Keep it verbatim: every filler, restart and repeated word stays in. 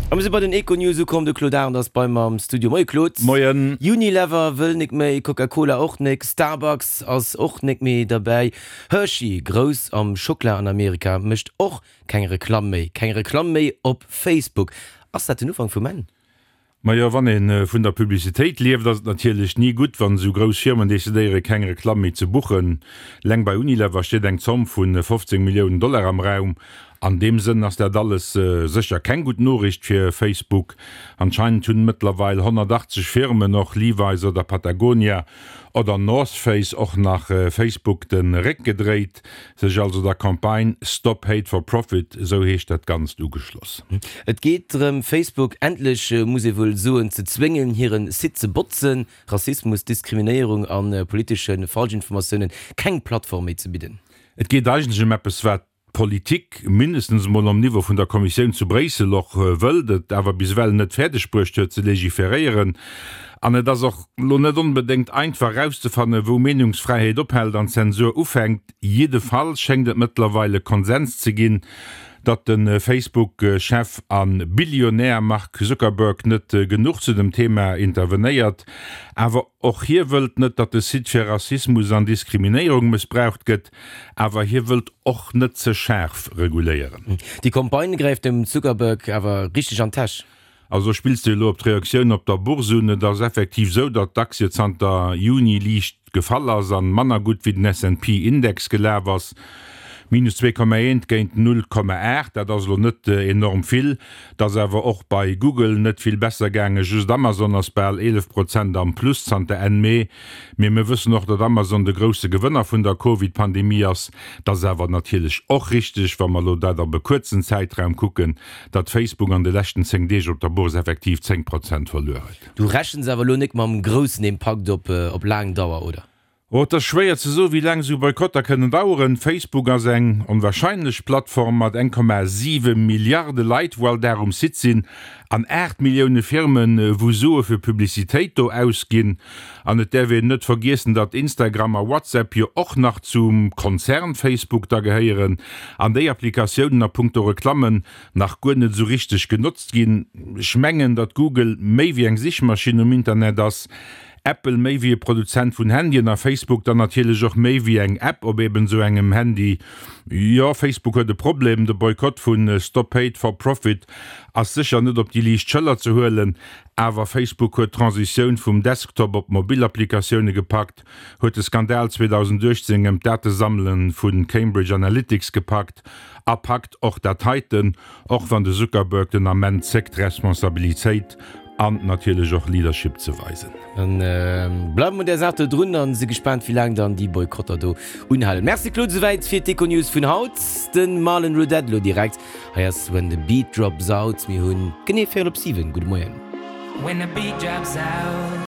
A mir si bei den Econews ukomm, de Claude Arend ass bei mer am Studio. Moie Claude. Moien. Unilever wëll nik méi, Coca-Cola och nik, Starbucks ass och nik méi derbäi, Hershey, grouss am Schockela an Amerika, mécht och keng Reklamm méi, keng Reklamm méi op Facebook. Ass dat den Ufank vum Enn? Majo, wann ee vun der Publicitéit lieft, ass et natierlech ni gutt, wann esou grouss Firmen decidéieren, keng Reklamm méi ze buchen. Leng bei Unilever steet eng Zomm vu fofzéng Milliounen Dollar am Raum. An deem Sënn ass dat alles sécher keng gutt Noriicht fir Facebook. Anscheinend hunn mëttlerweil honnertachtzeg Firmen, och Levi's oder Patagonia oder North Face, och nach Facebook de Réck gedréit, sech also der Campagne Stop Hate for Profit, esou heescht dat Ganzt, ugeschloss. Et geet drëm, Facebook endlech, muss ee wuel soen, ze zwéngen, hire Site ze botzen, Rassismus, Diskriminéierung a politesche Falschinformatiounen keng Plattform méi ze bidden. Et geet eigentlech ëm eppes, wat d'Politik, mindestens emol am Niveau vun der Kommissioun zu Bréissel, och wëllt, et awer bis ewell net fäerdeg bruecht huet ze legiferéieren. An et ass och elo net onbedéngt einfach erauszefannen, wou Meenungsfräiheet ophält an Zensur ufänkt. Jiddefalls schéngt et mëttlerweil e Konsens ze ginn, datt de Facebook-Chef a Billionär Mark Zuckerberg net genuch zu dem Thema intervenéiert. Awer och hie wëllt net, datt de Site fir Rassismus an Diskriminéierung mëssbraucht gëtt. Awer hie wëllt och net ze schaarf reguléieren. Déi Campagne gräift dem Zuckerberg awer richteg an d'Täsch. Also spills de elo op d'Reaktioun op der Bourse un? Et ass effektiv sou, datt d'Aktie zanter Juni liicht gefall ass an manner gutt wéi den S and P Index gelaf ass, minus zwee Komma eent géint null Komma aacht. Dat ass elo net enorm vill. Et ass awer och bei Google net vill besser gaangen. Just Amazon ass bal eelef Prozent am Plus zanter Enn Mee. Mee mir wëssen och, datt Amazon de grousse Gewënner vun der Covid-Pandemie ass. Et ass awer natierlech och richteg, wa mer elo dat op e kuerzen Zäitraum kucken, datt Facebook an de leschten zéng Deeg op der Bourse effektiv zéng Prozent verluer huet. Du rechens awer elo nik mam groussen Impakt op op laang Dauer, oder? Oh, et ass schwéier ze soen, wéi laang esou Boykotter kënnen daueren. Facebook ass eng onwahrscheinlech Plattform mat eng Komma siwe Milliarde Leit, wou all Dag um Site sinn, an aacht Millioune Firmen, wou Sue fir Publicitéit do ausginn. An et däerf een net vergiessen, datt Instagram a WhatsApp jo och nach zum Konzern Facebook da gehéieren an déi Applikatiounen a punkto Reklammen nach guer net esou richteg genotzt ginn. Ech mengen, datt Google méi wéi eng Sichmaschinn um Internet ass. Apple méi wéi e Produzent vun Handyen a Facebook dann natierlech och méi wéi eng App op eben esou engem Handy. Jo, Facebook huet e Problem, de Boykott vu Stop Hate for Profit ass sécher net op déi liicht Schëller ze huelen, awer Facebook huet d'Transitioun vum Desktop op mobil Applikatioune gepackt, huet de Skandal zweedausendachtzéng ëm d'Datesammele vu Cambridge Analytics gepackt a packt och dat heiten, och wann de Zuckerberg den Ament zéckt Responsabilitéit an natierlech och Leadership ze weisen. Dann bleiwe mer un där Saach do drun an si gespaant, wéi laang dann déi Boykotter do unhalen. Merci Claude, souwäit fir d'Econews vun haut. De Marlon Roudette elo direkt. Hei ass When the Beat Drops Out. Mir hunn genee véierel op siwen. Gudde Moien. When the beat drops out.